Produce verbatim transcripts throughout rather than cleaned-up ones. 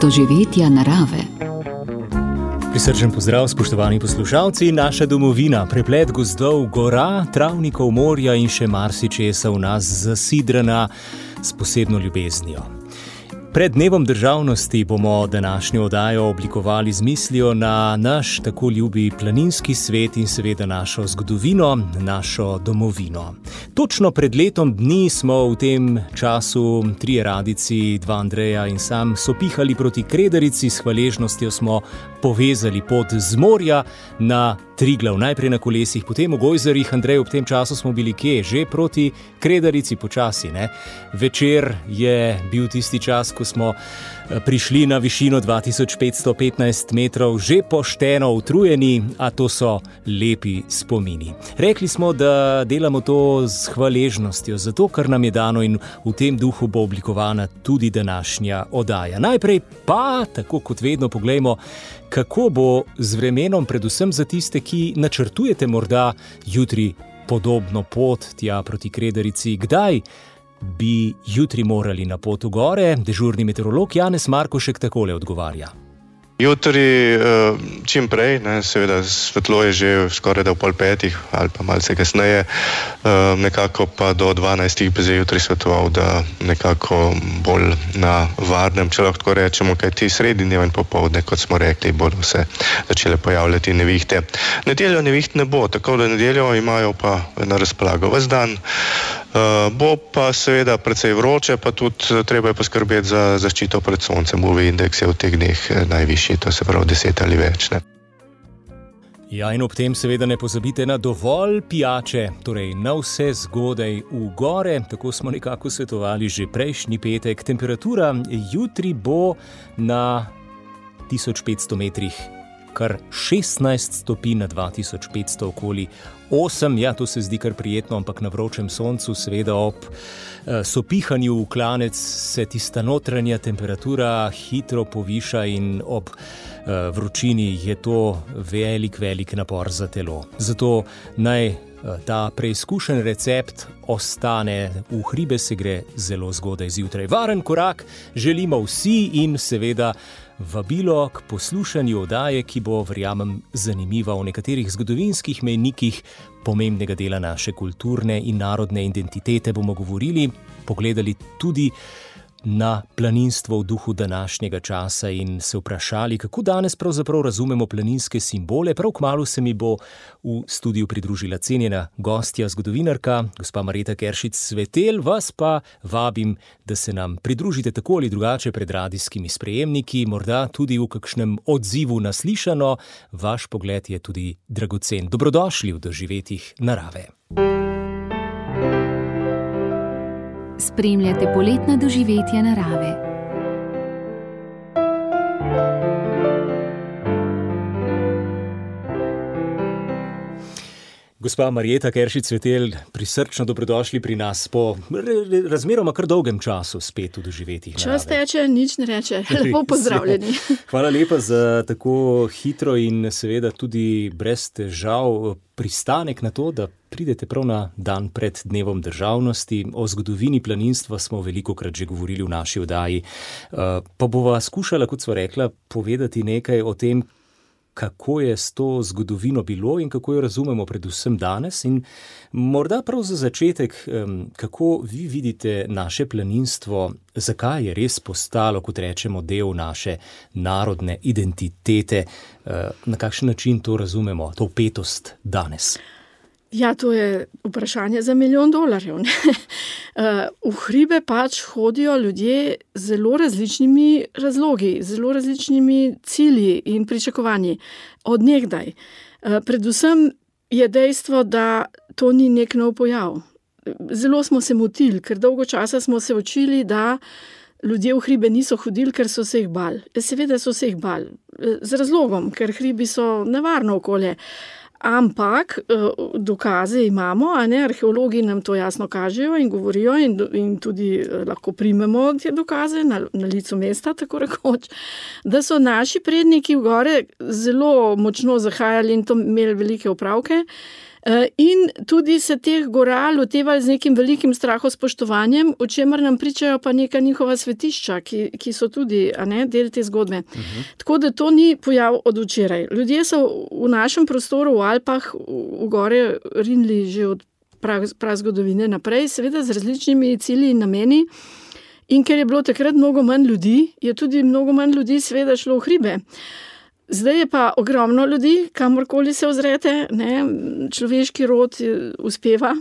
doživetja narave. Prisrčen pozdrav, spoštovani poslušalci, naša domovina, preplet gozdov, gora, travnikov, morja in še marsičesa v nas zasidrana s posebno ljubeznijo. Pred dnevom državnosti bomo današnjo oddajo oblikovali z mislijo na naš tako ljubi planinski svet in seveda našo zgodovino, našo domovino. Točno pred letom dni smo v tem času trije radici, dva Andreja in sam sopihali proti Kredarici, s hvaležnostjo smo povezali pot z morja na Triglav, najprej na kolesih, potem v gojzarjih. Andrej, ob tem času smo bili kje? Že proti Kredarici počasi, ne? Večer je bil tisti čas, ko smo prišli na višino dva tisoč petsto petnajst metrov, že pošteno utrujeni, a to so lepi spomini. Rekli smo, da delamo to z hvaležnostjo, zato kar nam je dano, in v tem duhu bo oblikovana tudi današnja oddaja. Najprej pa, tako kot vedno, poglejmo, kako bo z vremenom, predvsem za tiste, ki načrtujete morda jutri podobno pot tja proti Kredarici. Kdaj bi jutri morali na pot v gore? Dežurni meteorolog Janez Markošek takole odgovarja. Jutri čim prej, ne, seveda svetlo je že skoraj da v pol petih ali pa malce kasneje, nekako pa do dvanajstih bi zdaj jutri svetoval, da nekako bolj na varnem, če lahko tako rečemo, kaj ti sredi dneva in popoldne, kot smo rekli, bodo se začele pojavljati nevihte. Nedeljo neviht ne bo, tako da nedeljo imajo pa na razpolago ves dan. Uh, bo pa seveda precej vroče, pa tudi treba je poskrbeti za zaščito pred soncem. U V indeks je v teh dneh najvišji, to se pravi deset ali več. Ne? Ja, in ob tem seveda ne pozabite na dovolj pijače, torej na vse zgodaj v gore. Tako smo nekako svetovali že prejšnji petek. Temperatura jutri bo na tisoč petsto metrih kar šestnajst stopinj, na dva tisoč petsto okoli osem. Ja, to se zdi kar prijetno, ampak na vročem soncu, seveda ob eh, sopihanju v klanec se tista notranja temperatura hitro poviša in ob eh, vročini je to velik, velik napor za telo. Zato naj eh, ta preizkušen recept ostane. V hribe se gre zelo zgodaj zjutraj. Varen korak želimo vsi in seveda vabilo k poslušanju oddaje, ki bo, verjamem, zanimiva. O nekaterih zgodovinskih mejnikih pomembnega dela naše kulturne in narodne identitete bomo govorili, pogledali tudi na planinstvo v duhu današnjega časa in se vprašali, kako danes pravzaprav razumemo planinske simbole. Prav kmalu se mi bo v studiu pridružila cenjena gostja, zgodovinarka, gospa Marjeta Keršič-Svetelj. Vas pa vabim, da se nam pridružite tako ali drugače pred radijskimi sprejemniki, morda tudi v kakšnem odzivu na slišano. Vaš pogled je tudi dragocen. Dobrodošli v doživetjih narave. Spremljate poletna doživetja narave. Gospa Marjeta Keršič-Svetelj, prisrčno dobrodošli pri nas po razmeroma kar dolgem času spet v doživetjih narave. Čas teče, nič ne reče. Lepo pozdravljeni. Hvala lepa za tako hitro in seveda tudi brez težav pristanek na to, da pridete prav na dan pred dnevom državnosti. O zgodovini planinstva smo velikokrat že govorili v naši oddaji. Pa bova skušala, kot sva rekla, povedati nekaj o tem, kako je s to zgodovino bilo in kako jo razumemo predvsem danes. In morda prav za začetek, kako vi vidite naše planinstvo, zakaj je res postalo, kot rečemo, del naše narodne identitete, na kakšen način to razumemo, to vpetost danes? Ja, to je vprašanje za milijon dolarjev. Ne? V hribe pač hodijo ljudje z zelo različnimi razlogi, zelo različnimi cilji in pričakovanji od nekdaj. Predvsem je dejstvo, da to ni nek nov pojav. Zelo smo se motili, ker dolgo časa smo se učili, da ljudje v hribe niso hodili, ker so se jih bali. Seveda so se jih bali. Z razlogom, ker hribi so nevarno okolje. Ampak dokaze imamo, a ne, arheologi nam to jasno kažejo in govorijo in, in tudi lahko primemo te dokaze na, na licu mesta, tako rekoč, da so naši predniki v gore zelo močno zahajali in to imeli velike opravke In tudi se teh gora lotevali z nekim velikim strahospoštovanjem, o čemer nam pričajo pa neka njihova svetišča, ki, ki so tudi a ne, del te zgodbe. Uh-huh. Tako da to ni pojav od včeraj. Ljudje so v našem prostoru v Alpah v gore rinili že od prazgodovine naprej, seveda z različnimi cilji in nameni. In ker je bilo takrat mnogo manj ljudi, je tudi mnogo manj ljudi seveda šlo v hribe. Zdaj je pa ogromno ljudi, kamorkoli se ozrete, ne, človeški rod uspeva.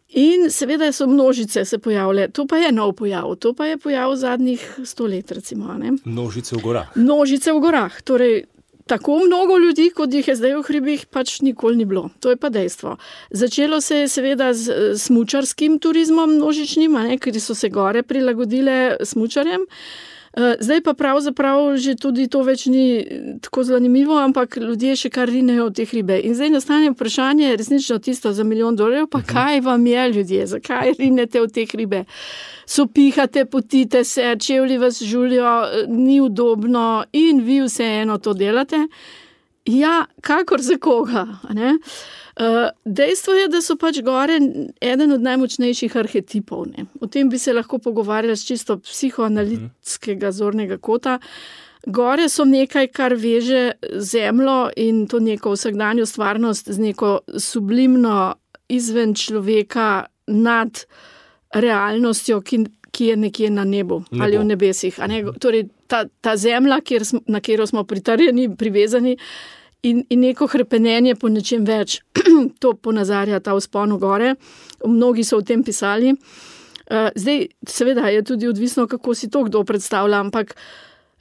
In seveda so množice se pojavile. To pa je nov pojav. To pa je pojav zadnjih sto let, recimo. Ne. Množice v gorah. Množice v gorah. Torej, tako mnogo ljudi, kot jih je zdaj v hribih, pač nikoli ni bilo. To je pa dejstvo. Začelo se je seveda z smučarskim turizmom množičnim, ne, ker so se gore prilagodile smučarjem. Zdaj pa pravzaprav že tudi to več ni tako zanimivo, ampak ljudje še kar rinejo v te hribe. In zdaj nastane vprašanje, resnično tisto za milijon dolarjev, pa kaj vam je, ljudje, zakaj rinete v te hribe? Sopihate, potite se, čevlji vas žulijo, ni udobno in vi vseeno to delate. Ja, kakor za koga, ne? Uh, dejstvo je, da so pač gore eden od najmočnejših arhetipov. Ne? O tem bi se lahko pogovarjali z čisto psihoanalitskega zornega kota. Gore so nekaj, kar veže zemljo in to neko vsakdanjo stvarnost z neko sublimno izven človeka nad realnostjo, ki, ki je nekje na nebu Nebo. Ali v nebesih. A ne? Torej, ta, ta zemlja, kjer smo, na katero smo pritrjeni, privezani, In, in neko hrepenenje po nečem več. To ponazarja ta vzpon v gore. Mnogi so o tem pisali. Zdaj, seveda je tudi odvisno, kako si to kdo predstavlja, ampak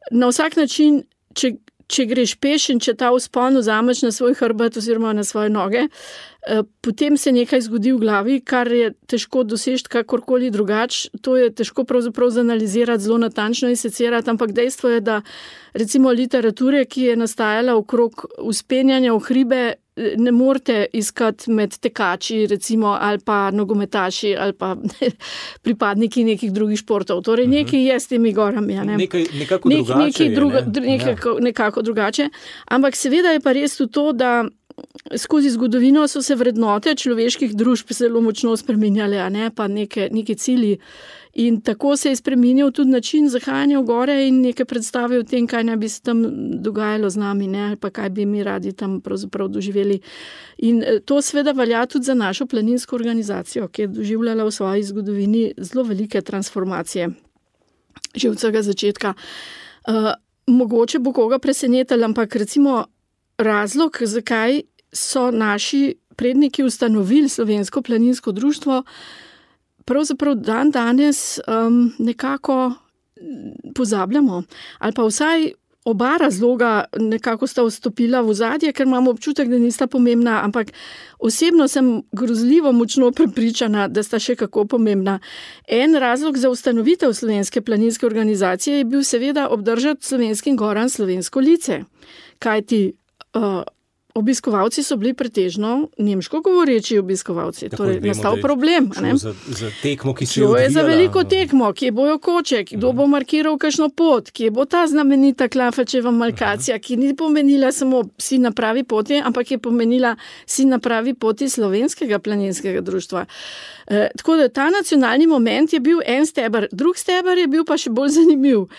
na vsak način, če, če greš peš in če ta vzpon vzameš na svoj hrbet oziroma na svoje noge, potem se nekaj zgodi v glavi, kar je težko doseči kakorkoli drugače. To je težko pravzaprav zanalizirati, zelo natančno in secirati, ampak dejstvo je, da recimo literature, ki je nastajala okrog vzpenjanja v hribe, ne morete iskati med tekači, recimo, ali pa nogometaši, ali pa pripadniki nekih drugih športov. Torej, nekaj je s temi gorami. Ne? Nekaj, nekako Nek, drugače nekaj je, druga, ne? nekako, nekako drugače. Ampak seveda je pa res to, da skozi zgodovino so se vrednote človeških družb zelo močno spreminjale, a ne pa neke, neke cilji. In tako se je spreminjal tudi način zahajanja v gore in neke predstave o tem, kaj naj bi se tam dogajalo z nami, ne, ali pa kaj bi mi radi tam pravzaprav doživeli. In to seveda velja tudi za našo planinsko organizacijo, ki je doživljala v svoji zgodovini zelo velike transformacije. Že od vsega začetka. Uh, mogoče bo koga presenetilo, ampak recimo razlog, zakaj so naši predniki ustanovili Slovensko planinsko društvo, pravzaprav dan danes um, nekako pozabljamo. Ali pa vsaj oba razloga nekako sta vstopila v ozadje, ker imamo občutek, da nista pomembna, ampak osebno sem grozljivo močno prepričana, da sta še kako pomembna. En razlog za ustanovitev Slovenske planinske organizacije je bil seveda obdržati slovenskim goram slovensko lice. Kajti Uh, obiskovalci so bili pretežno nemško govoreči obiskovalci. Tako torej, nastal problem. Za, za tekmo, ki se je odvijala. Je za veliko tekmo, kje bojo koče, kdo bo markiral kakšno pot, kje bo ta znamenita Klafačeva markacija, ki ni pomenila samo si na pravi poti, ampak je pomenila si na pravi poti Slovenskega planinskega društva. E, tako da ta nacionalni moment je bil en steber, drug steber je bil pa še bolj zanimiv.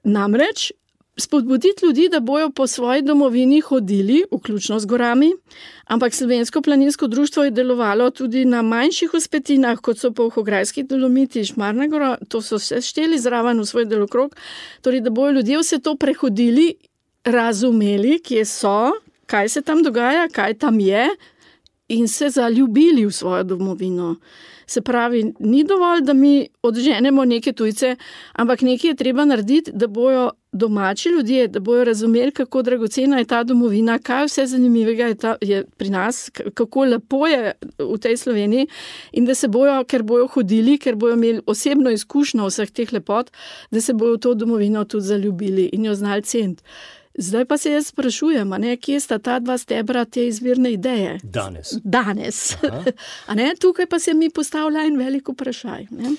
Namreč spodbuditi ljudi, da bojo po svoji domovini hodili, vključno z gorami, ampak Slovensko planinsko društvo je delovalo tudi na manjših vzpetinah, kot so Polhograjski Dolomiti, Šmarna gora, to so vse šteli zraven v svoj delokrog, torej da bojo ljudje vse to prehodili, razumeli, kje so, kaj se tam dogaja, kaj tam je in se zaljubili v svojo domovino. Se pravi, ni dovolj, da mi odženemo neke tujce, ampak nekaj je treba narediti, da bojo domači ljudje, da bojo razumeli, kako dragocena je ta domovina, kaj vse zanimivega je, ta, je pri nas, kako lepo je v tej Sloveniji in da se bojo, ker bojo hodili, ker bojo imeli osebno izkušnjo vseh teh lepot, da se bojo v to domovino tudi zaljubili in jo znali ceniti. Zdaj pa se jaz sprašujem, a ne, kje sta ta dva stebra te izvirne ideje? Danes. Danes. A ne, tukaj pa se mi postavlja en velik vprašaj. Ne?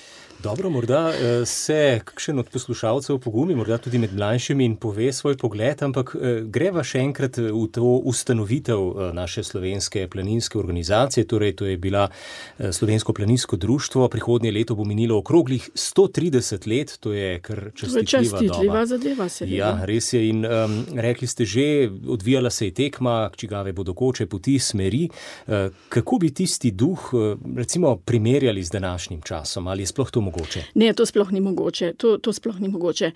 Dobro, morda se kakšen od poslušalcev pogumi, morda tudi med mlajšimi in pove svoj pogled, ampak greva še enkrat v to ustanovitev naše slovenske planinske organizacije, torej to je bila Slovensko planinsko društvo, prihodnje leto bo minilo okroglih sto trideset let, to je kar častitljiva doba. Častitljiva zadeva se. Ja, res je in um, rekli ste že, odvijala se je tekma, čigave bodo koče, poti, smeri. Uh, kako bi tisti duh, uh, recimo, primerjali z današnjim časom? Ali je sploh to mogoče? Ne, to sploh ni mogoče. To, to sploh ni mogoče.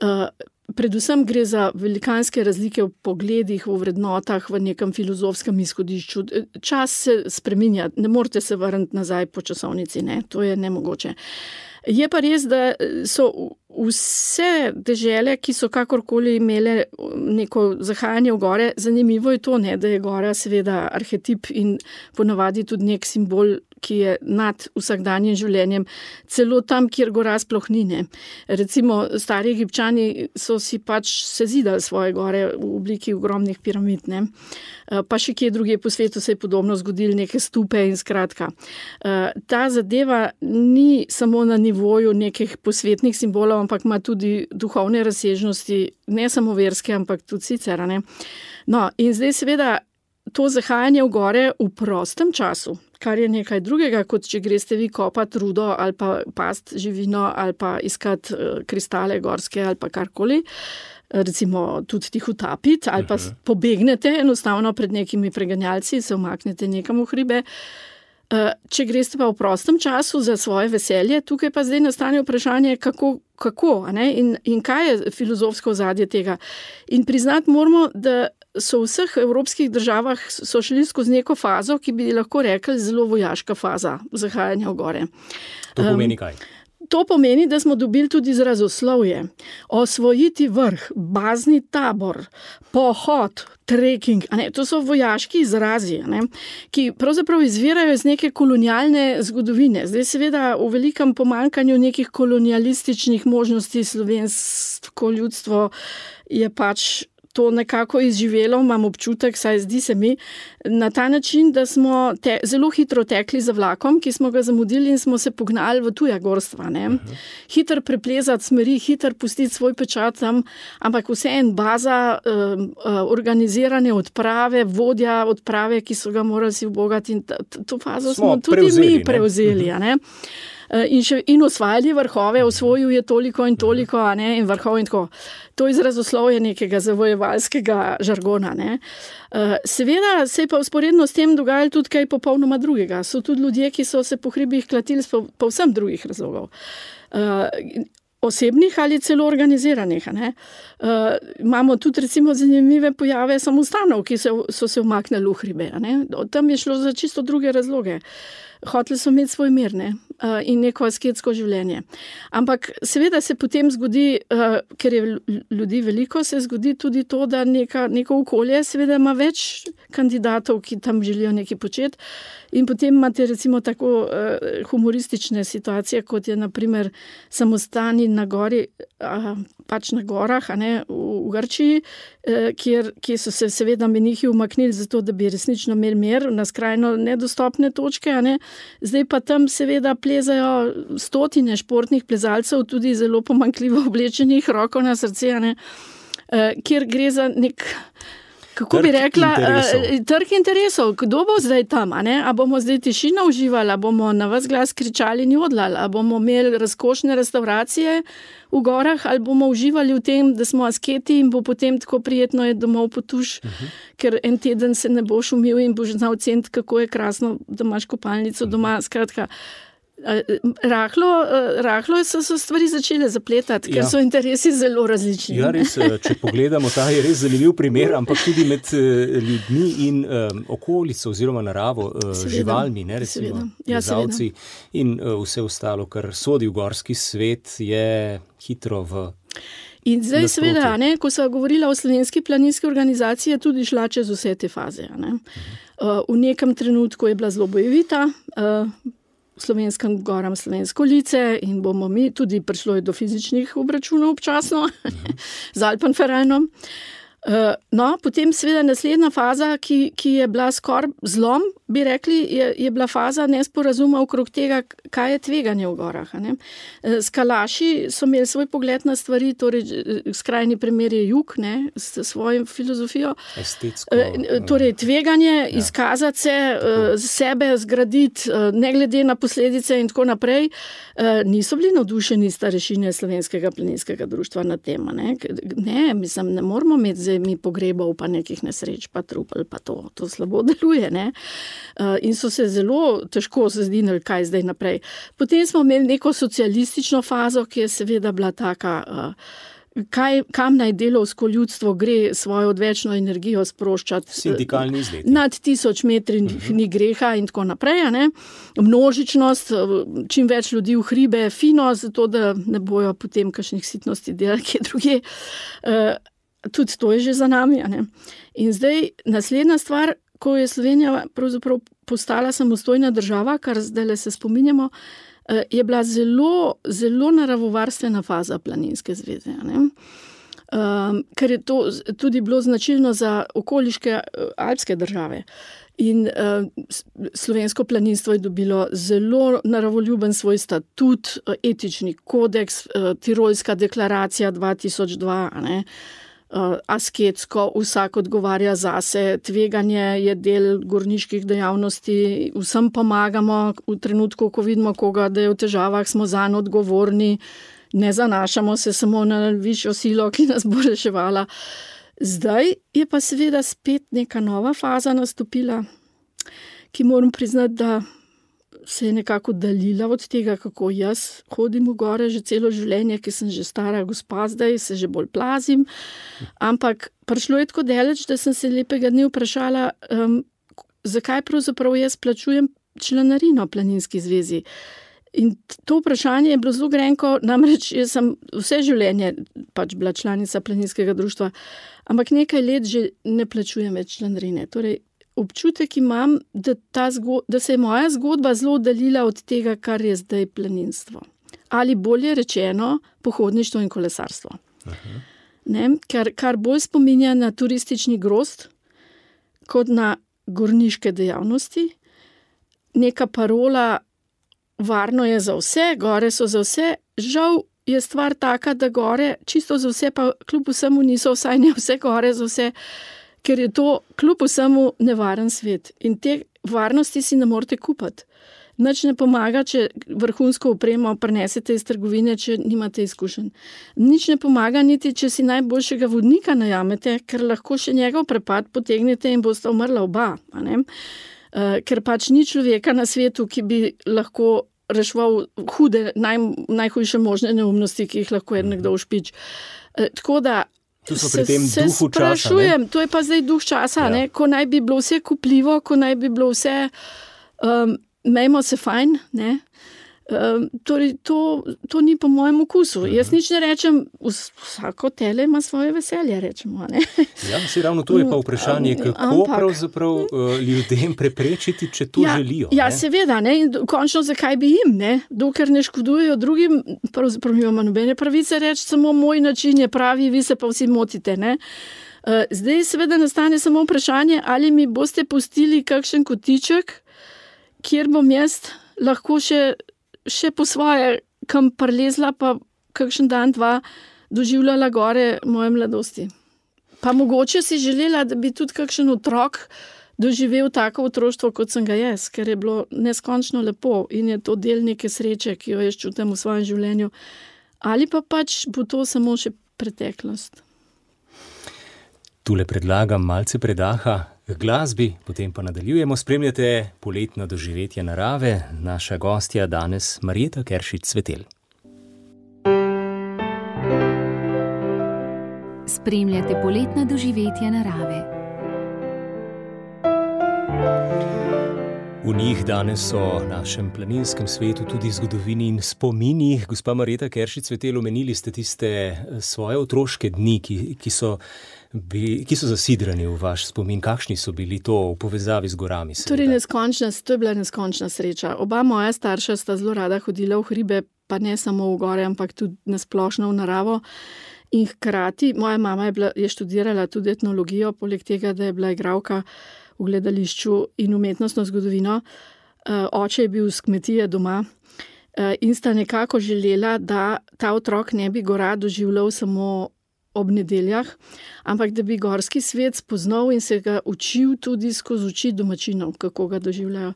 Uh, predvsem gre za velikanske razlike v pogledih, v vrednotah, v nekem filozofskem izhodišču. Čas se spreminja, ne morete se vrniti nazaj po časovnici, ne, to je nemogoče. Je pa res, da so vse dežele, ki so kakorkoli imele neko zahajanje v gore, zanimivo je to, ne, da je gora seveda arhetip in ponavadi tudi nek simbol, ki je nad vsakdanjim življenjem, celo tam, kjer gora sploh ni, ne. Recimo, stari Egipčani so si pač sezidali svoje gore v obliki ogromnih piramid, ne. Pa še kje drugje po svetu se je podobno zgodilo, neke stupe in skratka. Ta zadeva ni samo na nivoju nekih posvetnih simbolov, ampak ima tudi duhovne razsežnosti, ne samo verske, ampak tudi sicer, ne. No, in zdaj seveda to zahajanje v gore v prostem času, kar je nekaj drugega, kot če greste vi kopati rudo ali pa past živino ali pa iskati kristale gorske ali pa karkoli, recimo tudi tih utapiti ali pa pobegnete enostavno pred nekimi preganjalci, se umaknete nekam v hribe. Če greste pa v prostem času za svoje veselje, tukaj pa zdaj nastane vprašanje, kako, kako a ne? In, in kaj je filozofsko ozadje tega. In priznati moramo, da so v vseh evropskih državah so šli skozi neko fazo, ki bi lahko rekli zelo vojaška faza zahajanja v gore. To pomeni kaj? Um, to pomeni, da smo dobili tudi izrazoslovje. Osvojiti vrh, bazni tabor, pohod, trekking, a ne, to so vojaški izrazi, a ne, ki pravzaprav izvirajo iz neke kolonialne zgodovine. Zdaj seveda v velikem pomanjkanju nekih kolonialističnih možnosti slovensko ljudstvo je pač to nekako izživelo, imam občutek, saj zdi se mi, na ta način, da smo te, zelo hitro tekli za vlakom, ki smo ga zamudili in smo se pognali v tuja gorstva. Ne? Uh-huh. Hiter preplezati smeri, hiter pustiti svoj pečat tam, ampak vse en baza, uh, uh, organizirane odprave, vodja odprave, ki so ga morali si ubogati in t- t- to fazo smo, smo tudi prevzeli, mi prevzeli. Uh-huh. A ne? In, še, in osvajali vrhove, osvojil je toliko in toliko, a ne, in vrhov in tako. To izrazoslovje nekega zavojevalskega žargona. Ne. Seveda se je pa vzporedno s tem dogajalo tudi kaj popolnoma drugega. So tudi ljudje, ki so se po hribih klatili po, po vsem drugih razlogov. Osebnih ali celo organiziranih. Ne. Uh, imamo tudi recimo zanimive pojave samostanov, ki so, so se umaknili v hribe. Ne. Tam je šlo za čisto druge razloge. Hoteli so imeti svoj mir, ne, uh, in neko asketsko življenje. Ampak seveda se potem zgodi, uh, ker je ljudi veliko, se zgodi tudi to, da neka, neko okolje seveda ima več kandidatov, ki tam želijo nekaj početi. In potem imate recimo tako uh, humoristične situacije, kot je na primer samostani na gori, uh, pač na gorah, a ne, v, v Grčiji, uh, kjer, kjer so se seveda menihi umaknili zato, da bi resnično imeli mir na skrajno nedostopne točke, a ne. Zdaj pa tam seveda plezajo stotine športnih plezalcev, tudi zelo pomanjkljivo oblečenih, roko na srce, a ne, uh, kjer gre za nek... Kako trg bi rekla, interesov. trg interesov. Kdo bo zdaj tam? A, ne? A bomo zdaj tišino uživali, a bomo na ves glas kričali in jodlali, a bomo imeli razkošne restauracije v gorah, ali bomo uživali v tem, da smo asketi in bo potem tako prijetno je domov potuš, uh-huh. ker en teden se ne boš umil in boš znal ceniti, kako je krasno, da imaš kopalnico uh-huh. doma. Skratka, Rahlo, rahlo so, so stvari začele zapletati, ker ja. so interesi zelo različni. Ja, res, če pogledamo, ta je res zanimiv primer, ampak tudi med ljudmi in um, okolico oziroma naravo, seveda, živalmi, ne, recimo plezalci ja, in uh, vse ostalo, kar sodi v gorski svet, je hitro v... In zdaj nasproti. Seveda, ne, ko so govorila o slovenski planinski organizaciji, je tudi šla čez vse te faze. Ne. Uh, v nekem trenutku je bila zelo bojevita, uh, slovenskim goram slovensko lice in bomo mi tudi prišlo do fizičnih obračunov občasno z Alpenvereinom. No, potem seveda naslednja faza, ki, ki je bila skoraj zlom, bi rekli, je, je bila faza nesporazuma okrog tega, kaj je tveganje v gorah. Ne? Skalaši so imeli svoj pogled na stvari, torej skrajni primer je jug, ne, s svojo filozofijo. Estetsko. Torej tveganje, ja. Izkazati se, tako. Sebe zgraditi, ne glede na posledice in tako naprej. Niso bili navdušeni starešine Slovenskega planinskega društva na tem. Ne, ne mislim, ne moramo imeti mi pogrebov, pa nekih nesreč, pa trupel, pa to, to slabo deluje, ne. Uh, in so se zelo težko zazdinili, kaj zdaj naprej. Potem smo imeli neko socialistično fazo, ki je seveda bila taka, uh, kaj, kam naj delovsko ljudstvo gre svojo odvečno energijo sproščati. Sindikalni izleti. Nad tisoč metri uh-huh. ni greha in tako naprej, ne. Množičnost, čim več ljudi v hribe, fino, zato da ne bojo potem kakšnih sitnosti delali, kje druge. Uh, Tudi to je že za nami. Ne? In zdaj naslednja stvar, ko je Slovenija pravzaprav postala samostojna država, kar zdaj se spominjamo, je bila zelo, zelo naravovarstvena faza Planinske zveze. Ne? Um, ker je to tudi bilo značilno za okoliške alpske države. In uh, slovensko planinstvo je dobilo zelo naravoljuben svoj statut, etični kodeks, uh, Tirolska deklaracija dva tisoč dva, ne? Uh, asketsko, vsak odgovarja zase, tveganje je del gorniških dejavnosti, vsem pomagamo v trenutku, ko vidimo koga, da je v težavah, smo zanj odgovorni, ne zanašamo se samo na višjo silo, ki nas bo reševala. Zdaj je pa seveda spet neka nova faza nastopila, ki moram priznati, da se je nekako daljila od tega, kako jaz hodim v gore že celo življenje, ki sem že stara gospa, zdaj se že bolj plazim. Ampak prišlo je tako daleč, da sem se lepega dne vprašala, um, zakaj pravzaprav jaz plačujem članarino Planinski zvezi. In to vprašanje je bilo zelo grenko, namreč jaz sem vse življenje pač bila članica Planinskega društva, ampak nekaj let že ne plačujem več članarine. Torej, občutek imam, da, ta zgo- da se je moja zgodba zelo oddaljila od tega, kar je zdaj planinstvo. Ali bolje rečeno, pohodništvo in kolesarstvo. Ne, kar, kar bolj spominja na turistični grozd, kot na gorniške dejavnosti. Neka parola, varno je za vse, gore so za vse. Žal je stvar taka, da gore čisto za vse, pa kljub vsemu niso, vsaj ne vse gore za vse, ker je to kljub vsemu nevaren svet. In te varnosti si ne morete kupiti. Nič ne pomaga, če vrhunsko opremo prinesete iz trgovine, če nimate izkušenj. Nič ne pomaga niti, če si najboljšega vodnika najamete, ker lahko še njegov prepad potegnete in boste umrla oba. A ne? Uh, ker pač ni človeka na svetu, ki bi lahko reševal hude, naj, najhujše možne neumnosti, ki jih lahko je nekdo ušpič. Uh, tako da Tu so pri tem se, duhu se sprašujem, časa. To je pa zdaj duh časa, ja. Ne? Ko naj bi bilo vse kupljivo, ko naj bi bilo vse, um, mejmo se fajn, ne? Um, torej to, to ni po mojem okusu. Uh-huh. Jaz nič ne rečem, vsako tele ima svoje veselje, rečemo. Ne? Ja, si ravno to je pa vprašanje, kako Ampak, pravzaprav uh, ljudem preprečiti, če to ja, želijo. Ja, ne? seveda, ne? In končno zakaj bi jim, ne? Dokler ne škodujejo drugim, pravzaprav imamo nobene pravice reči, samo moj način je pravi, vi se pa vsi motite. Ne? Uh, zdaj seveda nastane samo vprašanje, ali mi boste pustili kakšen kotiček, kjer bom jaz lahko še še po svoje, kam prelezla, pa kakšen dan, dva doživljala gore moje mladosti. Pa mogoče si želela, da bi tudi kakšen otrok doživel tako otroštvo, kot sem ga jaz, ker je bilo neskončno lepo in je to del neke sreče, ki jo jaz čutim v svojem življenju. Ali pa pač bo to samo še preteklost. Tule predlagam malce predaha k glasbi, potem pa nadaljujemo. Spremljate poletna doživetja narave. Naša gostja danes Marjeta Keršič Cvetelj. Spremljate poletna doživetja narave. V njih danes so v našem planinskem svetu tudi zgodovini in spomini. Gospa Marjeta Keršič Cvetelj, omenili ste tiste svoje otroške dni, ki, ki so Bi, ki so zasidrani v vaš spomin. Kakšni so bili to v povezavi z gorami? Torej neskončna, to je bila neskončna sreča. Oba moja starša sta zelo rada hodila v hribe, pa ne samo v gore, ampak tudi nasplošno v naravo. In hkrati, moja mama je, bila, je študirala tudi etnologijo, poleg tega, da je bila igralka v gledališču in umetnostno zgodovino. Oče je bil z kmetije doma in sta nekako želela, da ta otrok ne bi gora doživljal samo ob nedeljah, ampak da bi gorski svet spoznal in se ga učil tudi skozi oči domačinov, kako ga doživljajo.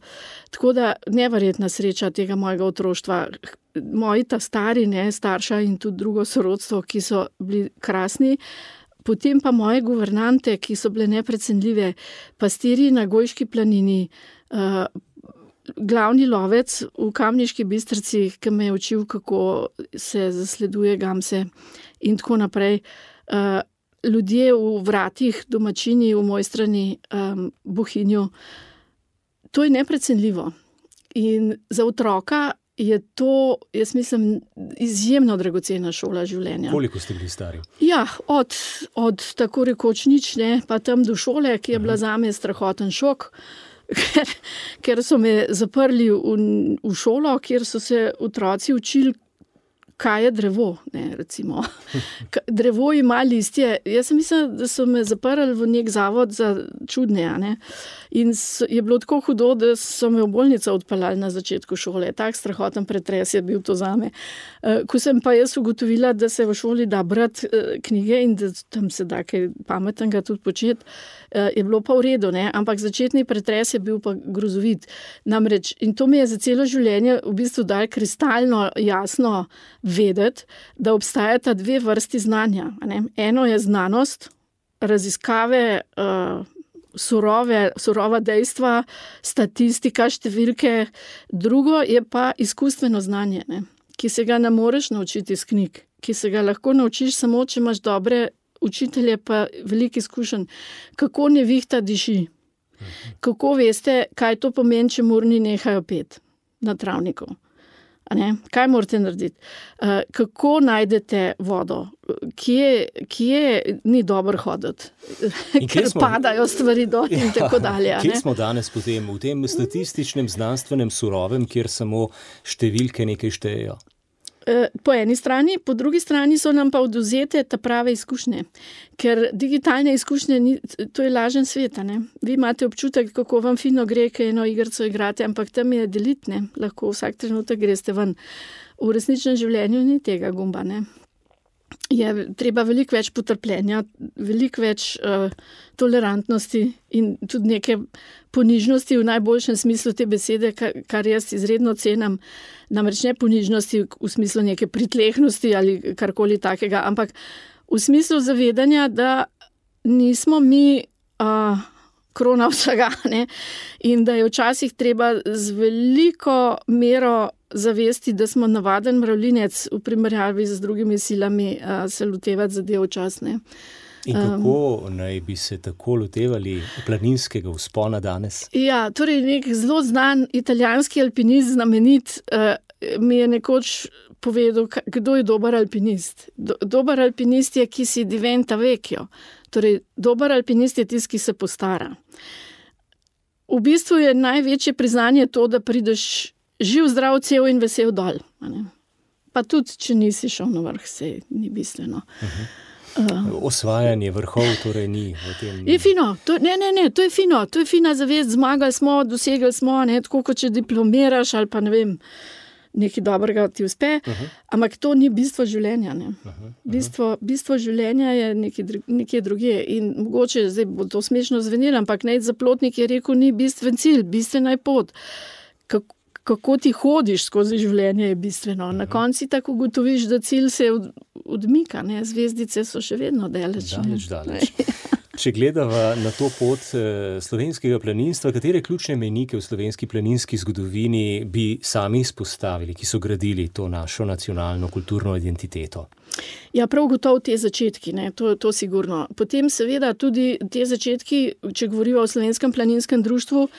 Tako da neverjetna sreča tega mojega otroštva. Moji ta stari, ne, starša in tudi drugo sorodstvo, ki so bili krasni, potem pa moje guvernante, ki so bile neprecenljive, pastirji na Gojški planini, uh, glavni lovec v Kamniški Bistrici, ki me je učil, kako se zasleduje gamse in tako naprej. Uh, ljudje v vratih, domačini v Mojstrani, um, Bohinju. To je neprecenljivo. In za otroka je to, jaz mislim, izjemno dragocena šola življenja. Koliko ste bili stari? Ja, od, od tako rekoč nič, ne, pa tam do šole, ki je bila zame strahoten šok, ker, ker so me zaprli v, v šolo, kjer so se otroci učili, kaj je drevo, ne, recimo. Drevo ima listje. Jaz sem mislila, da so me zaprli v nek zavod za čudne, ne. In so, je bilo tako hudo, da so me v bolnico odpeljali na začetku šole. Tak strahoten pretres je bil to zame. Ko sem pa jaz ugotovila, da se v šoli da brati knjige in da tam se da kaj pametnega tudi početi, je bilo pa v redu, ne. Ampak začetni pretres je bil pa grozovit. Namreč, in to mi je za celo življenje v bistvu dal kristalno jasno vedeti, da obstajata dve vrsti znanja. Ne? Eno je znanost, raziskave, uh, surove, surova dejstva, statistika, številke. Drugo je pa izkustveno znanje, ne? Ki se ga ne moreš naučiti iz knjig, ki se ga lahko naučiš samo, če imaš dobre učitelje, pa veliko izkušenj. Kako nevihta diši? Kako veste, kaj to pomeni, če morni nehajo pet na travniku? Ne? Kaj morate narediti? Uh, kako najdete vodo? Kje, kje ni dobro hoditi? Ker smo, padajo stvari dol in ja, tako dalje. Kje smo danes potem v tem statističnem, znanstvenem, surovem, kjer samo številke nekaj štejejo? Po eni strani, po drugi strani so nam pa odvzete ta prave izkušnje, ker digitalne izkušnje, ni, to je lažen svet, ne? Vi imate občutek, kako vam fino gre, kaj eno igrco igrate, ampak tam je delitne, lahko vsak trenutek greste ven. V resničnem življenju ni tega gumba, ne? Je treba veliko več potrpljenja, veliko več uh, tolerantnosti in tudi neke ponižnosti v najboljšem smislu te besede, kar, kar jaz izredno cenim. Namreč ne ponižnosti v smislu neke pritlehnosti ali karkoli takega, ampak v smislu zavedanja, da nismo mi uh, krona vsega, ne? In da je včasih treba z veliko mero zavesti, da smo navaden mravljinec v primerjavi z drugimi silami uh, se lotevati zadev včasne. In kako um, naj bi se tako lotevali planinskega vzpona danes? Ja, torej nek zelo znan italijanski alpinist, znamenit, uh, mi je nekoč povedal, kdo je dober alpinist. Do, dober alpinist je, ki si diventa vecchio. Torej, dober alpinist je tisti, ki se postara. V bistvu je največje priznanje to, da prideš živ, zdrav, cel in vesel dol. Pa tudi, če nisi šel na vrh, se ni bistveno. Uh-huh. Uh, Osvajanje vrhov torej ni v tem... Je fino, to, ne, ne, ne, to je fino, to je fina zavest, zmagali smo, dosegli smo, ne, tako kot če diplomiraš ali pa ne vem, nekaj dobrega ti uspe, uh-huh. Ampak to ni bistvo življenja. Ne. Uh-huh. Uh-huh. Bistvo, bistvo življenja je nekaj, nekaj druge in mogoče, zdaj bo to smešno zvenelo, ampak Nejc Zaplotnik je rekel, ni bistven cilj, bistvena je pot. Kako Kako ti hodiš skozi življenje je bistveno. Na konci tako ugotoviš, da cilj se odmika, ne? Zvezdice so še vedno daleč. Daleč, daleč. Če gledava na to pot slovenskega planinstva, katere ključne mejnike v slovenski planinski zgodovini bi sami izpostavili, ki so gradili to našo nacionalno kulturno identiteto? Ja, prav gotovo te začetki, ne? To, to sigurno. Potem seveda tudi te začetki, če govorimo o Slovenskem planinskem društvu,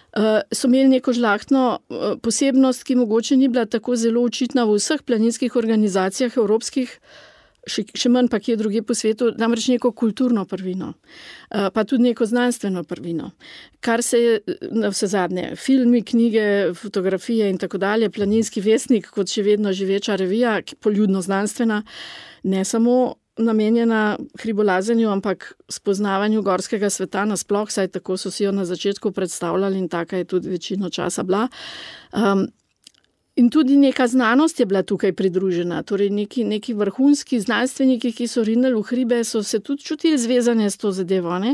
Uh, so imeli neko žlahtno uh, posebnost, ki mogoče ni bila tako zelo očitna v vseh planinskih organizacijah evropskih, še, še manj pa kje druge po svetu, namreč neko kulturno prvino, uh, pa tudi neko znanstveno prvino. Kar se je na vse zadnje, filmi, knjige, fotografije in tako dalje, Planinski vestnik kot še vedno živeča revija, poljudno znanstvena, ne samo namenjena hribolazenju, ampak spoznavanju gorskega sveta nasploh, saj tako so si jo na začetku predstavljali in taka je tudi večino časa bila. Um, In tudi neka znanost je bila tukaj pridružena, torej neki, neki vrhunski znanstveniki, ki so rinili v hribe, so se tudi čutili zvezane s to zadevo, ne?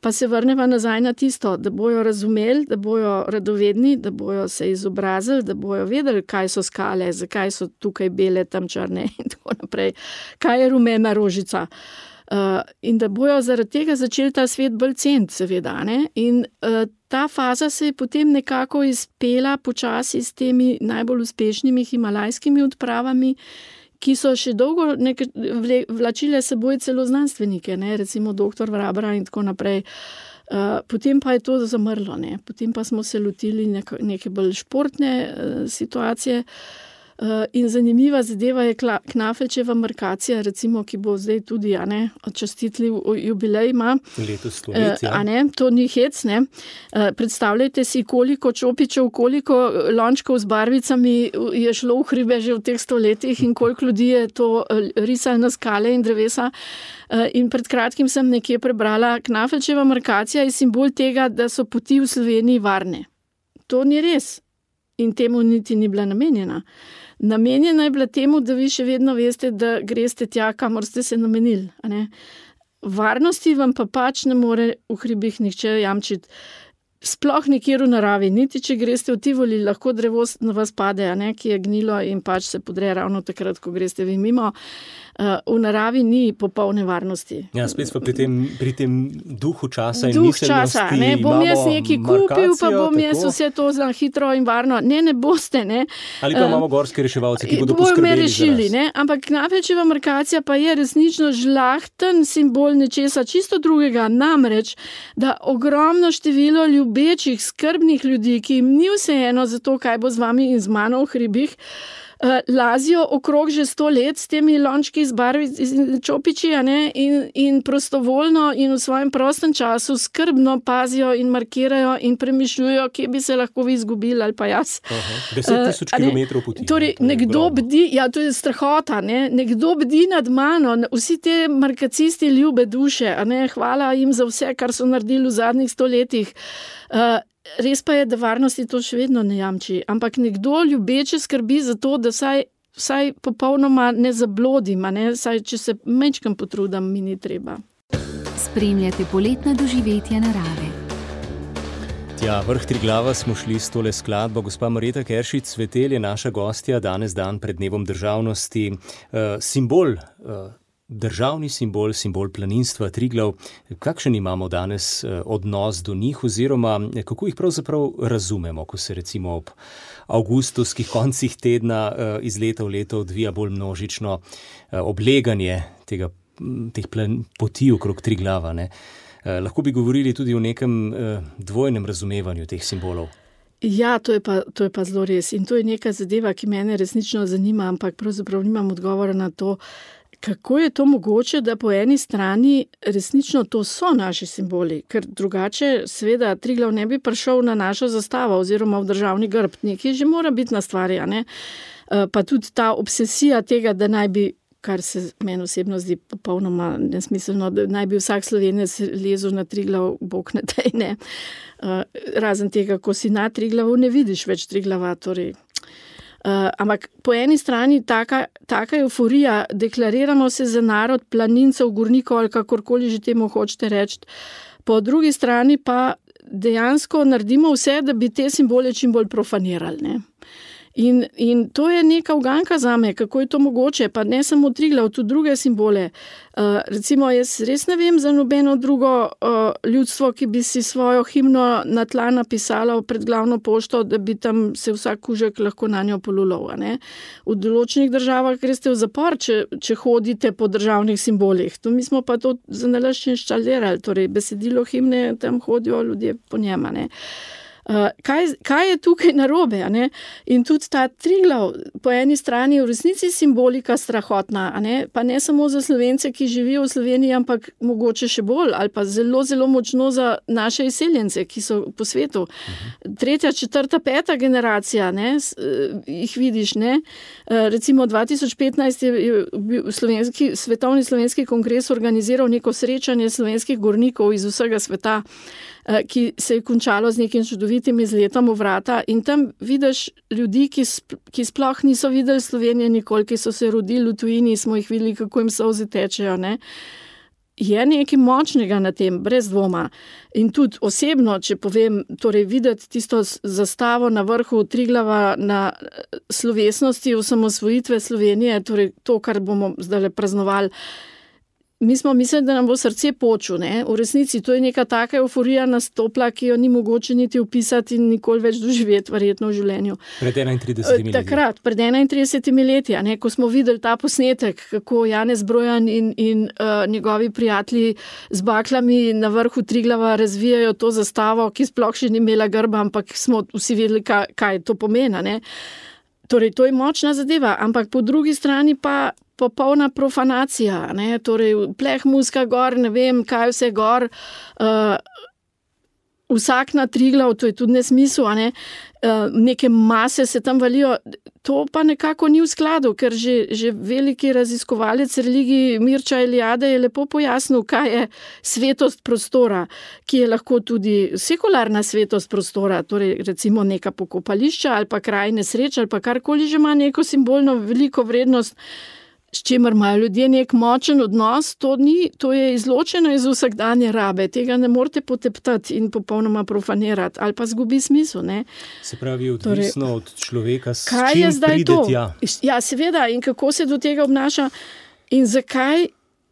Pa se vrneva nazaj na tisto, da bojo razumeli, da bojo radovedni, da bojo se izobrazili, da bojo vedeli, kaj so skale, zakaj so tukaj bele, tam črne in tako naprej, kaj je rumena rožica. Uh, in da bojo zaradi tega začeli ta svet bolj ceniti, seveda, ne? In uh, ta faza se je potem nekako izpela počasi s temi najbolj uspešnimi himalajskimi odpravami, ki so še dolgo neke, vle, vlačile seboj celo znanstvenike, ne? Recimo doktor Vrabra in tako naprej. Uh, potem pa je to zamrlo, ne? Potem pa smo se lotili neke, neke bolj športne uh, situacije. Uh, in zanimiva zadeva je Knafelčeva markacija, recimo, ki bo zdaj tudi, a ne, častitljiv jubilej ima. Letos stoletja. Uh, a ne, to ni hec, ne. Uh, predstavljajte si, koliko čopičev, koliko lončkov z barvicami je šlo v hribe že v teh stoletjih in koliko ljudi je to risali na skale in drevesa. Uh, in pred kratkim sem nekje prebrala, Knafelčeva markacija je simbol tega, da so poti v Sloveniji varne. To ni res. In temu niti ni bila namenjena. Namenjena je bila temu, da vi še vedno veste, da greste tja, kamor ste se namenili. A ne? Varnosti vam pa pač ne more v hribih nihče jamčiti. Sploh nikjer v naravi, niti če greste v Tivoli, lahko drevo na vas pade, a ne, ki je gnilo in pač se podre ravno takrat, ko greste vi mimo. Uh, v naravi ni popolne varnosti. Ja, spet pa pri tem, pri tem duhu časa in Duh miselnosti časa, ne, bom jaz nekaj kupil, pa bom jaz tako vse to za hitro in varno. Ne, ne boste, ne. Ali pa imamo gorske reševalce, ki bodo bojo poskrbeli rešili, za nas. Ne? Ampak Knafelčeva markacija pa je resnično žlahten simbol nečesa čisto drugega. Namreč, da ogromno število ljubečih, skrbnih ljudi, ki jim ni vseeno za to, kaj bo z vami in z mano v hribih, lazijo okrog že sto let s temi lončki z barvi in čopiči, a ne, in, in prostovoljno in v svojem prostem času skrbno pazijo in markirajo in premišljujo, kje bi se lahko vi izgubili ali pa jaz. Aha, deset tisoč uh, kilometrov poti. Torej, ne, nekdo bdi, ja, to je strahota, ne, nekdo bdi nad mano, vsi te markacisti ljube duše, a ne, hvala jim za vse, kar so naredili v zadnjih stoletjih. Uh, Res pa je, da varnosti to še vedno ne jamči, ampak nekdo ljubeče skrbi za to, da vsaj, vsaj popolnoma ne zablodim, ne? Saj, če se mečkam potrudim, mi ni treba. Spremljate poletna doživetja narave. Ja, vrh Triglava smo šli s tole skladbo. Gospa Marjeta Keršič Cvetelj je naša gostja, danes dan pred dnevom državnosti. Uh, simbol uh, Državni simbol, simbol planinstva Triglav. Kakšen imamo danes odnos do njih oziroma kako jih pravzaprav razumemo, ko se recimo ob avgustovskih koncih tedna iz leta v leto odvija bolj množično obleganje tega, teh plan, poti okrog Triglava, ne? Lahko bi govorili tudi o nekem dvojnem razumevanju teh simbolov. Ja, to je, pa, to je pa zelo res in to je neka zadeva, ki mene resnično zanima, ampak pravzaprav nimam odgovora na to, kako je to mogoče, da po eni strani resnično to so naši simboli, ker drugače seveda Triglav ne bi prišel na našo zastavo oziroma v državni grb, nekaj že mora biti na stvari, a ne? Pa tudi ta obsesija tega, da naj bi, kar se meni osebno zdi popolnoma nesmiselno, da naj bi vsak Slovenec lezel na Triglav, bog ne daj, ne. Razen tega, ko si na Triglavu, ne vidiš več Triglava, torej. Uh, ampak po eni strani taka, taka euforija, deklariramo se za narod planincev, gurnikov ali kakorkoli že temu hočete reči, po drugi strani pa dejansko naredimo vse, da bi te simbole čim bolj profanirali, ne. In, in to je neka uganka zame, kako je to mogoče, pa ne samo Triglav, tudi druge simbole. Uh, recimo, jaz res ne vem za nobeno drugo uh, ljudstvo, ki bi si svojo himno na tla napisalo pred glavno pošto, da bi tam se vsak kužek lahko na njo polulal, a ne. V določenih državah greste v zapor, če, če hodite po državnih simbolih. To mi smo pa to za nalašč inštalirali, torej besedilo himne, tam hodijo ljudje po njem, a ne. Uh, kaj, kaj je tukaj narobe? A ne? In tudi ta Triglav, po eni strani v resnici simbolika strahotna, a ne? Pa ne samo za Slovence, ki živijo v Sloveniji, ampak mogoče še bolj, ali pa zelo, zelo močno za naše izseljence, ki so po svetu. Uh-huh. Tretja, četrta, peta generacija, ne? S, uh, jih vidiš, ne? Uh, recimo dva tisoč petnajst je, je bil slovenski, svetovni slovenski kongres organiziral neko srečanje slovenskih gornikov iz vsega sveta, ki se je končalo z nekim čudovitim izletom v vrata in tam vidiš ljudi, ki, sp- ki sploh niso videli Slovenije nikoli, ki so se rodili v tujini, smo jih videli, kako jim solze tečejo, ne. Je nekaj močnega na tem, brez dvoma. In tudi osebno, če povem, torej videti tisto zastavo na vrhu Triglava na slovesnosti osamosvojitve Slovenije, torej to, kar bomo zdaj praznovali, mi smo mislili, da nam bo srce poču, ne? V resnici to je neka taka euforija nastopla, ki jo ni mogoče niti opisati in nikoli več doživeti verjetno v življenju. Pred enaintridesetimi leti. Takrat, pred enaintridesetimi leti, ne? Ko smo videli ta posnetek, kako Janez Brojan in, in uh, njegovi prijatelji z baklami na vrhu Triglava razvijajo to zastavo, ki sploh še ni imela grba, ampak smo vsi vedeli, kaj, kaj to pomeni, ne? Torej, to je močna zadeva, ampak po drugi strani pa popolna profanacija, ne, torej pleh muska gor, ne vem, kaj vse gor, uh, vsak na Triglav, to je tudi nesmisel, a ne, uh, neke mase se tam valijo, to pa nekako ni v skladu, ker že, že veliki raziskovalec religiji Mirča Eliade je lepo pojasnil, kaj je svetost prostora, ki je lahko tudi sekularna svetost prostora, torej recimo neka pokopališča ali pa kraj nesreč ali pa karkoli že ima neko simbolno veliko vrednost, s čimer imajo ljudje nek močen odnos, to, ni, to je izločeno iz vsakdanje rabe, tega ne morete poteptati in popolnoma profanirati, ali pa zgubi smisel. Ne? Se pravi, odvisno torej, od človeka, s kaj čim je zdaj pride to? Tja. Ja, seveda, in kako se do tega obnaša in zakaj,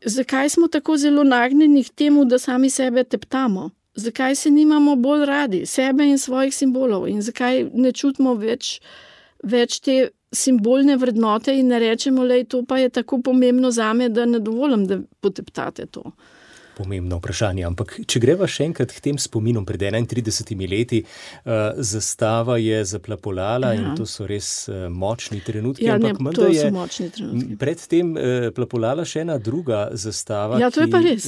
zakaj smo tako zelo nagnjeni k temu, da sami sebe teptamo? Zakaj se nimamo bolj radi, sebe in svojih simbolov in zakaj ne čutimo več, več te simbolne vrednote in ne rečemo, lej, to pa je tako pomembno zame, da ne dovolim, da poteptate to. Pomembno vprašanje, ampak če greva še enkrat k tem spominom pred enaintridesetimi leti, uh, zastava je zaplapolala ja. In to so res uh, močni trenutki. Ja, ampak ne, to so močni trenutki. Predtem uh, plapolala še ena druga zastava. Ja, to ki, je pa res.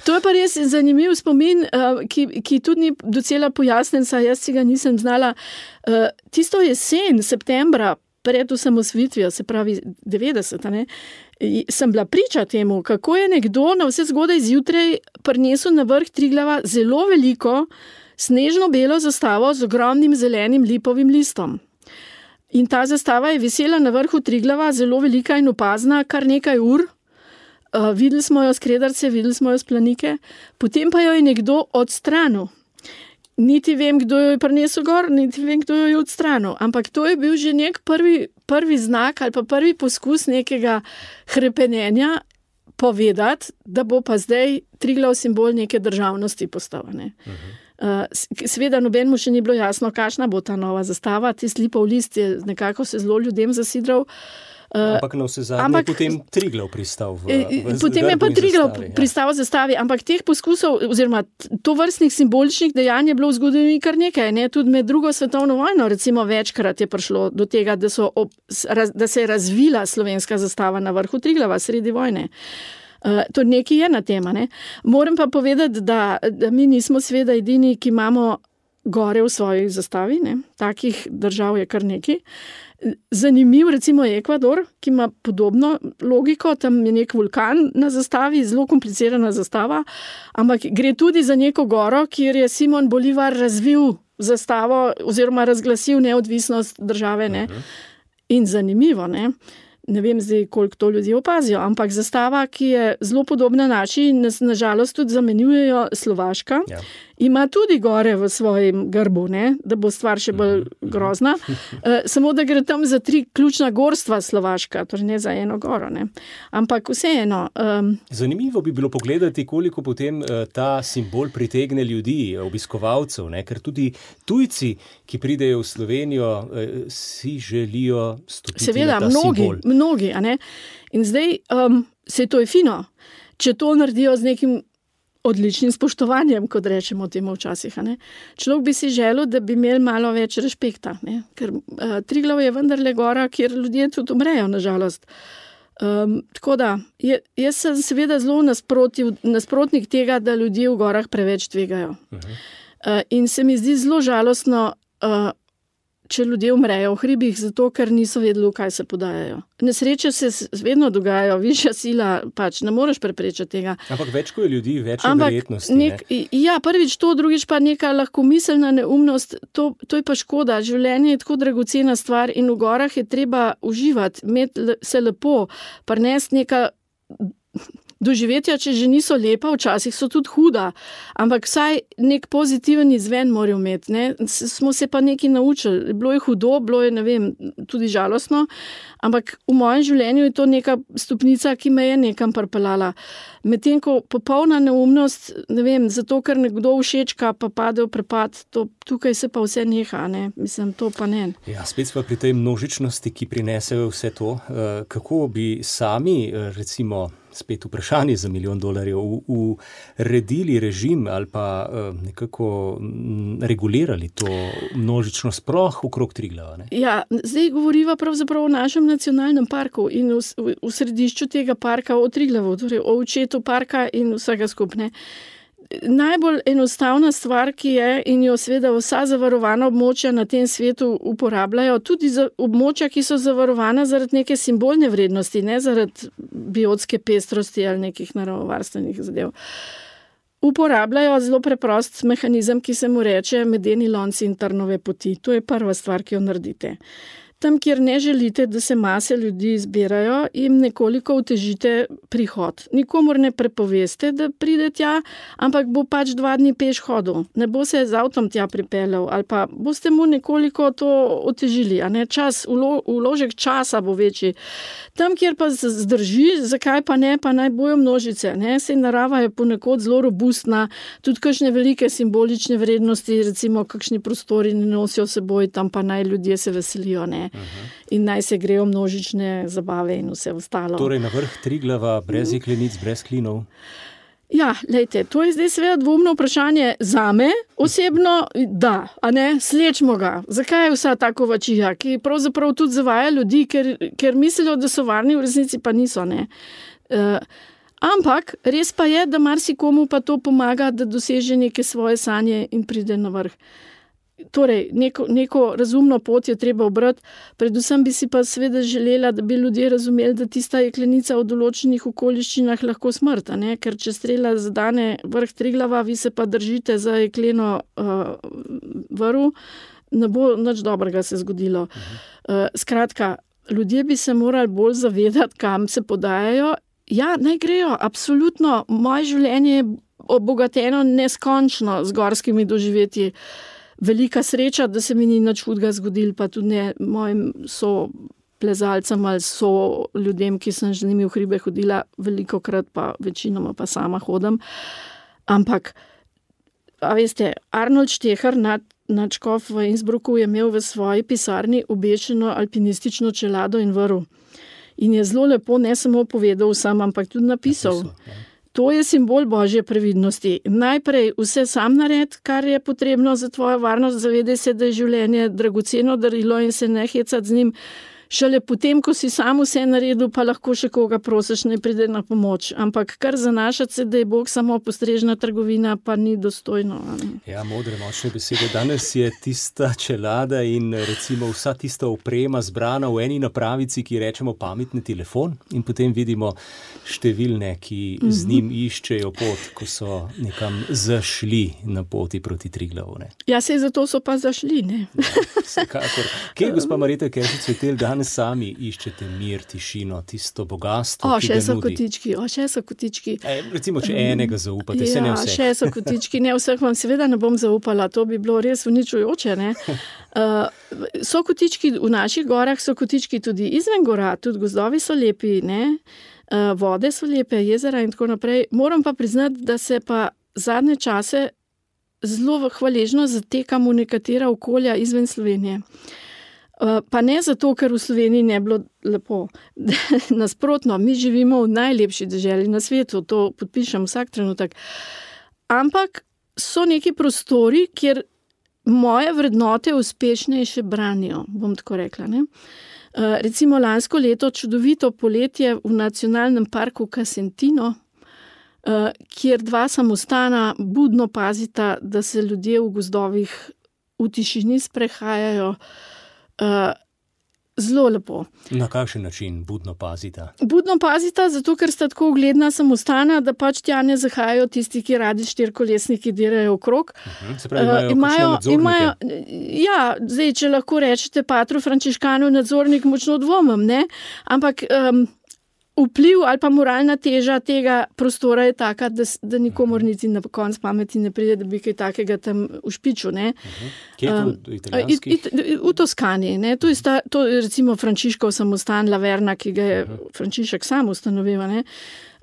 To je pa res zanimiv spomin, uh, ki, ki tudi ni docela pojasnen, saj jaz si ga nisem znala. Uh, tisto jesen, septembra, pred osamosvojitvijo, se pravi devetdeseta, ne, sem bila priča temu, kako je nekdo na vse zgodaj zjutraj prinesel na vrh Triglava zelo veliko snežno belo zastavo z ogromnim zelenim lipovim listom. In ta zastava je visela na vrhu Triglava, zelo velika in opazna, kar nekaj ur. Uh, videli smo jo s Kredarce, videli smo jo s Planike, potem pa jo je nekdo odstranil. Niti vem, kdo jo je prinesel gor, niti vem, kdo jo je odstranil. Ampak to je bil že nek prvi, prvi znak ali pa prvi poskus nekega hrepenenja povedati, da bo pa zdaj Triglav simbol neke državnosti postal. Ne? Uh-huh. Uh, seveda nobenemu še ni bilo jasno, kakšna bo ta nova zastava. Tisti lipov list je nekako se zelo ljudem zasidral. Uh, ampak na vse zadnje je potem Triglav pristal v, v potem je pa Triglav pristal v zastavi, ampak teh poskusov oziroma tovrstnih simboličnih dejanj je bilo v zgodovini kar nekaj. Ne? Tudi med drugo svetovno vojno recimo večkrat je prišlo do tega, da, so ob, da se je razvila slovenska zastava na vrhu Triglava sredi vojne. Uh, to nekaj je na tema. Ne? Moram pa povedati, da, da mi nismo seveda edini, ki imamo gore v svoji zastavi. Ne? Takih držav je kar nekaj. Zanimiv recimo je Ekvador, ki ima podobno logiko, tam je nek vulkan na zastavi, zelo komplicirana zastava, ampak gre tudi za neko goro, kjer je Simon Bolivar razvil zastavo oziroma razglasil neodvisnost države. Ne? In zanimivo, ne? Ne vem zdaj, koliko to ljudi opazijo, ampak zastava, ki je zelo podobna naši, nas nažalost tudi zamenjujejo Slovaška, ja. Ima tudi gore v svojem grbu, ne? Da bo stvar še bolj grozna. Uh, samo da gre tam za tri ključna gorstva Slovaška, torej ne za eno goro. Ne? Ampak vseeno. Um, Zanimivo bi bilo pogledati, koliko potem uh, ta simbol pritegne ljudi, obiskovalcev, ne? Ker tudi tujci, ki pridejo v Slovenijo, uh, si želijo stopiti seveda, na ta mnogi, simbol. Mnogi, a ne? In zdaj, um, se to je fino, če to naredijo z nekim odličnim spoštovanjem, kot rečemo temu včasih. Ne? Človek bi si želel, da bi imeli malo več respekta, ne? Ker uh, Triglav je vendarle gora, kjer ljudje tudi umrejo, nažalost. Um, tako da, je, jaz sem seveda zelo nasprotnik tega, da ljudje v gorah preveč tvegajo. Uh-huh. Uh, in se mi zdi zelo žalostno, uh, če ljudje umrejo v hribih, zato ker niso vedeli, kaj se podajajo. Nesreče se vedno dogajajo, višja sila, pač ne moreš preprečiti tega. Ampak več, ko je ljudi, več je verjetnosti. Nek, ja, prvič to, drugič pa neka lahkomiselna neumnost, to, to je pa škoda. Življenje je tako dragocena stvar in v gorah je treba uživati, imeti se lepo, prinesti neka doživetja, če že niso lepa, včasih so tudi huda, ampak vsaj nek pozitiven izven morajo imeti. Ne? Smo se pa nekaj naučili. Bilo je hudo, bilo je, ne vem, tudi žalostno, ampak v mojem življenju je to neka stopnica, ki me je nekam pripeljala. Medtem ko popolna neumnost, ne vem, zato ker nekdo všečka, pa pade v prepad, to, tukaj se pa vse neha, ne? Mislim, to pa ne. Ja, spet smo pri tej množičnosti, ki prinesejo vse to. Kako bi sami, recimo, spet vprašanje za milijon dolarjev, uredili režim ali pa nekako regulirali to množično sploh okrog Triglava? Ne? Ja, zdaj govoriva pravzaprav o našem nacionalnem parku in v, v, v središču tega parka o Triglavu, torej o očetu parka in vsega skupne. Najbolj enostavna stvar, ki je in jo seveda vsa zavarovana območja na tem svetu uporabljajo, tudi za območja, ki so zavarovana zaradi neke simbolne vrednosti, ne zaradi biotske pestrosti ali nekih naravovarstvenih zadev. Uporabljajo zelo preprost mehanizem, ki se mu reče medeni lonci in trnove poti. To je prva stvar, ki jo naredite. Tam, kjer ne želite, da se mase ljudi zbirajo, jim nekoliko otežite prihod. Nikomur ne prepoveste, da pride tja, ampak bo pač dva dni peš hodil. Ne bo se z avtom tja pripeljal, ali pa boste mu nekoliko to otežili. A ne? Čas, ulo, uložek časa bo večji. Tam, kjer pa zdrži, zakaj pa ne, pa naj bojo množice. Ne? Sej narava je ponekod zelo robustna, tudi kakšne velike simbolične vrednosti, recimo kakšni prostori ne nosijo seboj, tam pa naj ljudje se veselijo, ne? Uh-huh. In naj se grejo množične zabave in vse ostalo. Torej na vrh Triglava, brez jeklenic, brez klinov? Ja, lejte, to je zdaj seveda dvomno vprašanje zame, osebno, da, a ne, slečmo ga. Zakaj je vsa ta kovačija, ki pravzaprav tudi zavaja ljudi, ker, ker mislijo, da so varni, v resnici pa niso, ne. Uh, ampak res pa je, da marsikomu pa to pomaga, da doseže neke svoje sanje in pride na vrh. Torej, neko, neko razumno pot je treba obrati, predvsem bi si pa seveda želela, da bi ljudje razumeli, da tista jeklenica v določenih okoliščinah lahko smrt, ne? Ker če strela zadane vrh Triglava, vi se pa držite za jekleno uh, vrv, ne bo nič dobrega se zgodilo. Uh, skratka, ljudje bi se morali bolj zavedati, kam se podajajo. Ja, naj grejo, absolutno, moje življenje je obogateno neskončno z gorskimi doživetji. Velika sreča, da se mi ni nič hudega zgodil, pa tudi ne mojim so plezalcem ali so ljudem, ki sem z njimi v hribe hodila, velikokrat pa večinoma pa sama hodim. Ampak, a veste, Arnold Šteher, nadškof v Innsbrucku, je imel v svoji pisarni obešeno alpinistično čelado in vrv. In je zelo lepo ne samo povedal sam, ampak tudi napisal. napisal To je simbol Božje previdnosti. Najprej vse sam nared, kar je potrebno za tvojo varnost, zavedaj se, da je življenje dragoceno darilo in se ne hecati z njim. Šele potem, ko si sam vse naredil, pa lahko še koga prosiš, ne pride na pomoč. Ampak kar zanašati se, da je Bog samo postrežna trgovina, pa ni dostojno. Ja, modre, močne besede. Danes je tista čelada in recimo vsa tista oprema zbrana v eni napravici, ki rečemo pametni telefon, in potem vidimo številne, ki z njim iščejo pot, ko so nekam zašli na poti proti Triglavu. Ne? Ja, sej zato so pa zašli, ne? Ja, vsekakor. Kje, gospa Marjeta Keršič-Cvetelj, danes sami iščete mir, tišino, tisto bogatstvo, o, ki ga nudi? O, še so kotički, o, še so kotički. E, recimo, če enega zaupate, ja, se ne vseh. Ja, še so kotički, ne vseh vam seveda ne bom zaupala, to bi bilo res uničujoče, ne. Uh, so kotički v naših gorah, so kotički tudi izven gora, tudi gozdovi so lepi, ne. Uh, vode so lepe, jezera in tako naprej. Moram pa priznati, da se pa zadnje čase zelo hvaležno zatekam v nekatera okolja izven Slovenije. Pa ne zato, ker v Sloveniji ne bilo lepo. Nasprotno, mi živimo v najlepši deželi na svetu, to podpišem vsak trenutek. ampak so neki prostori, kjer moje vrednote uspešnejše branijo, bom tako rekla. Ne? Uh, recimo lansko leto čudovito poletje v nacionalnem parku Casentino, uh, kjer dva samostana budno pazita, da se ljudje v gozdovih v tišini sprehajajo. Uh, zelo lepo. Na kakšen način budno pazita? Budno pazita, zato ker sta tako ugledna samostana, da pač tja ne zahajajo tisti, ki radi štirikolesniki dirajo okrog. Uh-huh. Se pravi, imajo, uh, imajo, imajo Ja, zdaj, če lahko rečete Patru Frančiškanu nadzornik, močno dvomim, ne? Ampak um, vpliv ali pa moralna teža tega prostora je taka, da, da nikomor niti na konc pameti ne pride, da bi kaj takega tam ušpičil. Uh-huh. Kje je to v italijanskih? Um, it, it, v Toskani. Ne? To je sta, to je recimo Frančiškov samostan Laverna, ki ga je uh-huh. Frančišek sam ustanovil. Ne?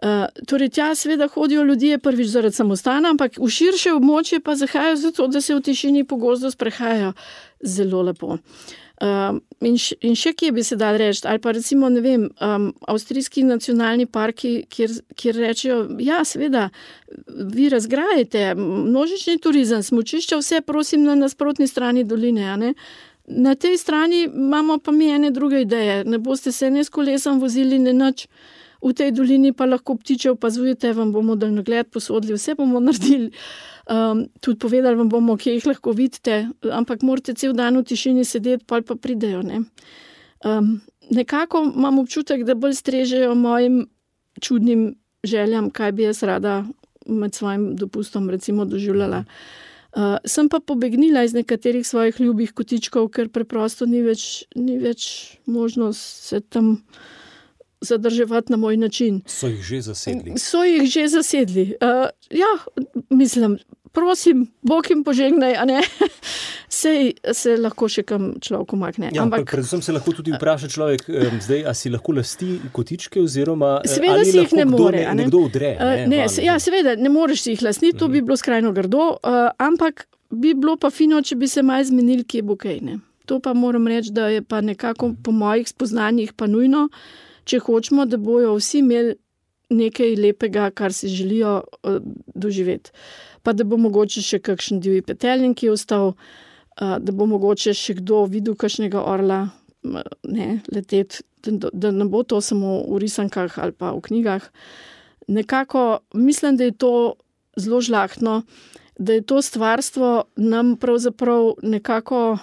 Uh, torej, tja seveda hodijo ljudje prvič zaradi samostana, ampak v širše območje pa zahajajo zato, da se v tišini po gozdu sprehajajo. Zelo lepo. Uh, in, š, in še kje bi se dal reči, ali pa recimo, ne vem, um, avstrijski nacionalni parki, kjer, kjer rečejo, ja, seveda, vi razgrajete, množični turizem, smučišča, vse prosim na nasprotni strani doline, a ne? Na tej strani imamo pa mi ene druge ideje, ne boste se ne s kolesom vozili, ne nič, v tej dolini pa lahko ptiče opazujete, vam bomo daljnogled posodili, vse bomo naredili. Um, tudi povedali vam bomo, kje jih lahko vidite, ampak morate cel dan v tišini sedeti, pa pa pridejo. Ne? Um, nekako imam občutek, da bolj strežejo mojim čudnim željam, kaj bi jaz rada med svojim dopustom recimo doživljala. Uh, sem pa pobegnila iz nekaterih svojih ljubih kotičkov, ker preprosto ni več, ni več možnost se tam zadrževati na moj način. So jih že zasedli? So jih že zasedli. Uh, ja, mislim, prosim, Bog jim požegnaj, a ne? Sej se lahko še kam človek umakne. Ja, ampak predvsem se lahko tudi vpraša človek, um, zdaj, a si lahko lasti kotičke oziroma seveda ali si jih lahko ne more, ne, a ne? nekdo udre? Uh, Ne, ne, ne se, ja, seveda, ne moreš si jih lastniti, to bi bilo skrajno grdo, uh, ampak bi bilo pa fino, če bi se malo zmenili, kje bo kaj, ne? To pa moram reči, da je pa nekako po mojih spoznanjih pa nujno, če hočemo, da bojo vsi imeli nekaj lepega, kar si želijo uh, doživeti. Pa da bo mogoče še kakšen divji peteljin, ki je ostal, uh, da bo mogoče še kdo videl kakšnega orla uh, ne, leteti, da, da ne bo to samo v risankah ali pa v knjigah. Nekako mislim, da je to zelo žlahtno, da je to stvarstvo nam pravzaprav nekako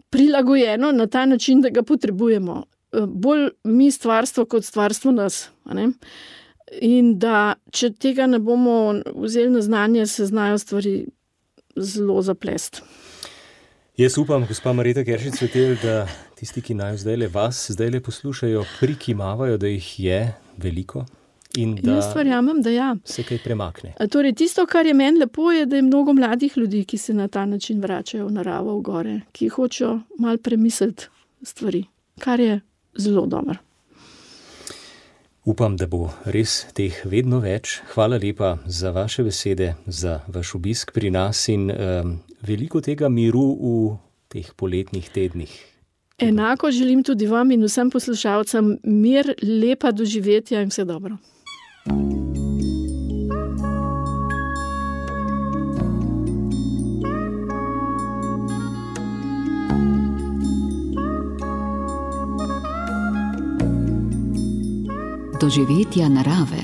prilagojeno na ta način, da ga potrebujemo. Bolj mi stvarstvo kot stvarstvo nas. A ne? In da če tega ne bomo vzeli na znanje, se znajo stvari zelo zaplesti. Jaz upam, gospa Marjeta Keršič-Svetelj, da tisti, ki naj zdajle vas zdajle poslušajo, prikimavajo, da jih je veliko in da Jaz verjamem, da ja. se kaj premakne. A torej, tisto, kar je meni lepo, je, da je mnogo mladih ljudi, ki se na ta način vračajo v naravo, v gore, ki hočejo malo premisliti stvari, kar je zelo dobro. Upam, da bo res teh vedno več. Hvala lepa za vaše besede, za vaš obisk pri nas in um, veliko tega miru v teh poletnih tednih. Enako želim tudi vam in vsem poslušalcem mir, lepa doživetja in vse dobro. Doživetja narave.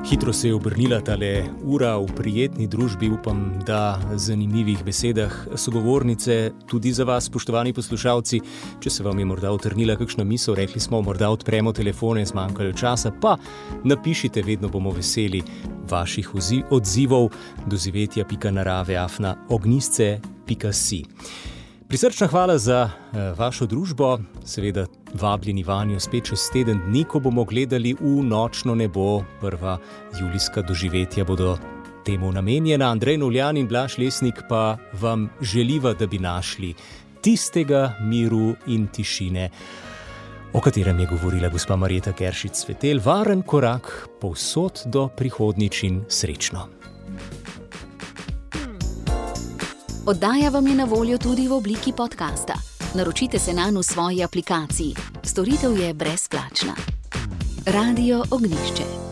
Hitro se je obrnila tale ura v prijetni družbi, upam, da zanimivih besedah sogovornice tudi za vas, spoštovani poslušalci. Če se vam je morda utrnila kakšna misel, rekli smo, morda odpremo telefone, zmanjkalo časa, pa napišite, vedno bomo veseli vaših odzivov. Doživetja pika narave afna ognjisce pika si. Prisrčna hvala za uh, vašo družbo, seveda vabljeni vanjo spet čez teden dni, ko bomo gledali v nočno nebo. Prva julijska doživetja bodo temu namenjena. Andrej Novljan in Blaž Lesnik pa vam želiva, da bi našli tistega miru in tišine, o katerem je govorila gospa Marjeta Keršič-Svetelj. Varen korak povsod do prihodnjič in srečno. Oddaja vam je na voljo tudi v obliki podcasta. Naročite se nanj v svoji aplikaciji. Storitev je brezplačna. Radio Ognjišče.